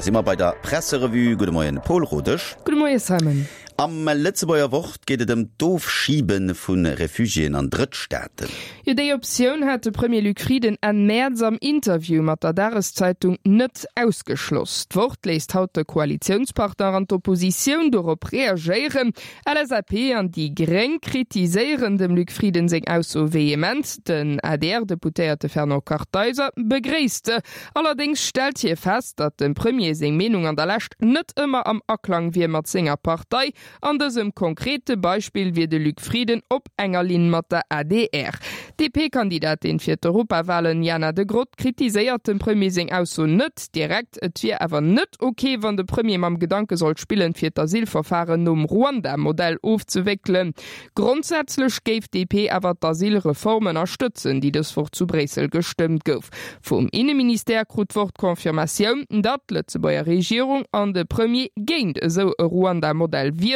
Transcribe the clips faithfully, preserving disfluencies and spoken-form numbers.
Da si mer bei der Presserevue. Gudde Moien Paul Rodesch. Gudde Moie Simon. Am Lëtzebuerger Wort geet et ëm d'Ofschibe vu Refugiéen an Drëttstaaten. Jo, déi Optioun hat de Premier Luc Frieden Enn Mäerz am Interview mat der Dageszeitung net ausgeschloss. D'Wort léisst haut de Koalitiounspartner an d'Oppositioun dorop reagéieren. LSAP an déi Gréng kritiséieren dem Luc Frieden seng Ausso vehement. Den A D R-Deputéierte Fernand Kartheiser begréisst se. Allerdéngs stellt hie fest, datt dem Premier seng Meenung an der Lescht net ëmmer am Aklang wier mat senger Partei. An dësem konkrete Beispill wier de Luc Frieden op enger Linn mat der A D R. D'D P-Kandidatin fir d'Europawalen Jana de Groot kritiséiert dem Premier seng Ausso net direkt. Et wier awer net ok, wann de Premier mam Gedanke sollt spillen, fir d'Asylverfaren nom Ruanda-Modell ofzewéckelen. Grondsätzlech géif d'D P awer d'Asylreform ënnerstëtzen, déi dës Woch zu Bréissel gestëmmt gouf. Vum Inneministère krut d'Wort d'Confirmatioun, datt d'Lëtzebuerger Regierung an de Premier géint esou e Ruanda-Modell wieren.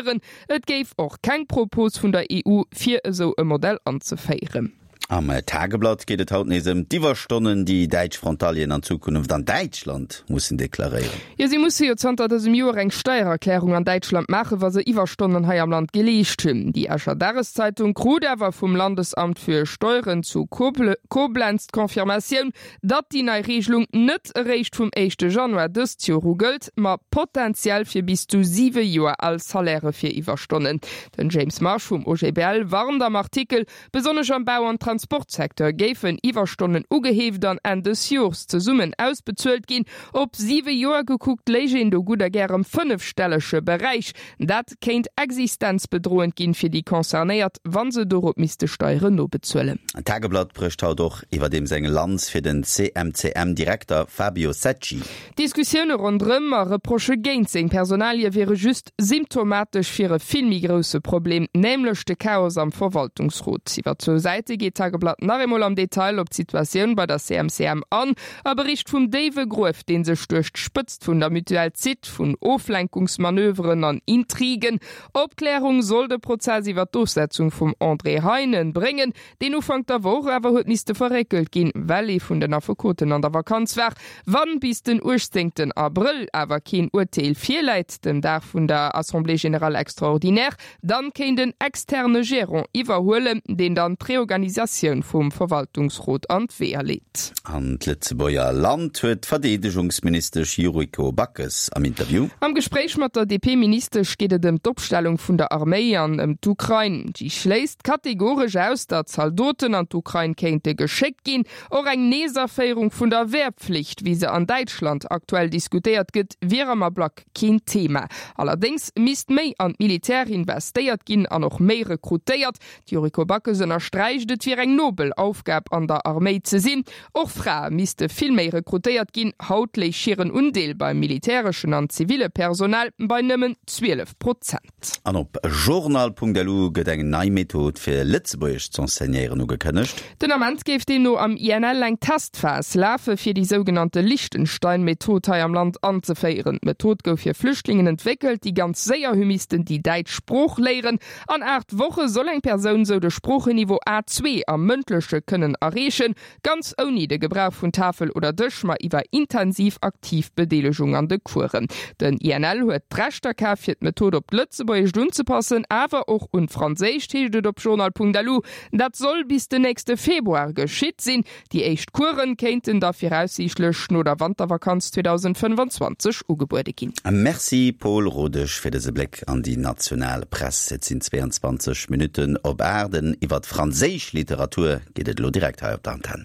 Et géif och keng Propos vun der E U, fir esou e Modell anzeféieren. Am Tageblatt geet et haut nees ëm d'Iwwerstonnen, déi däitsch Frontalieren an Zukunft an Däitschland mussen deklaréieren. Jo, si musse jo zanter dësem Joer eng Steiererklärung an Däitschland maachen, wa se Iwwerstonnen hei am Land geleescht hunn. Déi Escher Dageszeitung krut awer vum Landesamt für Steuern zu Koblenz d'Confirmatioun, datt déi nei Regelung net eréischt vum éischte Januar dëst Joer u gëllt, ma potenziell fir bis zu siwe Joer al Salairë fir Iwwerstonnen. Den James Marsh vum O G B L warnt am Artikel, besonnesch am Bau an Transportsecteur géifen Iwwerstonnen ugeheeft an Enn des Jors zesummen ausbezuelt ginn. Op siwe Joer gekuckt léich een do gutt a gär am fënnefstellege Beräich. Dat kéint existenzbedroend ginn fir déi Concernéiert, wa se dorop misste Steieren nobezuelen. D'Tageblatt brécht haut och iwwerdeems eng Lanz fir den C M C M-Direkter Fabio Secci. D'Diskussioune ronderëm a Reprochë géint seng Personalie wiere just symptomatesch fir e vill méi grousse Problem, nämlech de Chaos am Verwaltungsrot. Iwwer zwou Säite geet d'Tageblatt nach eemol am Detail op d'Situatioun bei der C M C M an a bericht vum déiwe Gruef, dee sech duerch d'Spëtzt vun der Mutuelle zitt, vun Oflenkungsmanöveren an Intrigen. Opklärung soll de Prozess iwwer d'Ofsetzung vum André Heinen bréngen, deen Ufank der Woch awer huet misste verréckelt ginn, well ee vun den Affekoten an der Vakanz war. Wann bis den uechtzéngten Abrëll awer keen Urteel virläit, dem Dag vun der Assemblée générale extraordinaire, dann kéint en externe Gérant iwwerhuelen, deen dann d'Reorganisatioun vum Verwaltungsrot an d'Weeër leet. An d'Lëtzebuerger Land huet d'Verdeedegungsministesch Yuriko Backes am Interview. Am Gespréich mat der D P-Ministesch geet et ëm d'Opstellung vun der Arméi an ëm d'Ukrain. Si schléisst kategoresch aus, datt Zaldoten an d'Ukrain kéinte geschéckt ginn. Och eng Neesaféierung vun der Wehrpflicht, wéi se an Däitschland aktuell diskutéiert gëtt, wier am Ablack keen Thema. Allerdéngs misst méi an d'Militär investéiert ginn an och méi rekrutéiert. D'Yuriko Backes ënnersträicht, et wier eng nobel Aufgab an der Arméi ze sinn. Och Frae misste vill méi rekrutéiert ginn. Haut léich hiren Undeel beim militäreschen an ziville Personal bei nëmmen zwielef Prozent. An op journal Punkt L U gëtt eng nei Method fir Lëtzebuergesch z'enseignéieren ugekënnegt. Den Ament géif deemno am I N L eng Testphas lafe fir déi sougenannte Liechtenstein-Method hei am Land anzeféieren. D'Method gouf fir Flüchtlingen entwéckelt, déi ganz séier hu missten déi däitsch Sprooch léieren. An aacht Woche soll eng Persoun sou de Sproocheniveau A zwee am Mëndleche kënnen erreechen, ganz ouni de Gebrauch vun Tafel oder Dësch, ma iwwer intensiv aktiv Bedeelegung an de Coursen. Den I N L huet d'Rechter kaf fir d'Method op d'Lëtzebuergescht unzepassen, awer och un d'Franséischt, heescht et op journal Punkt L U. Dat soll bis den nächste Februar geschitt sinn. Déi éischt Coursen kéinten da viraussiichtlech no der Wantervakanz zweedausendfënnefanzwanzeg ugebuede ginn. Merci Paul Rodesch fir dëse Bléck an déi national Press. Et sinn zwéianzwanzeg Minutten op aacht. Iwwer franséisch Literatur geet et elo direkt hei op der Antenn.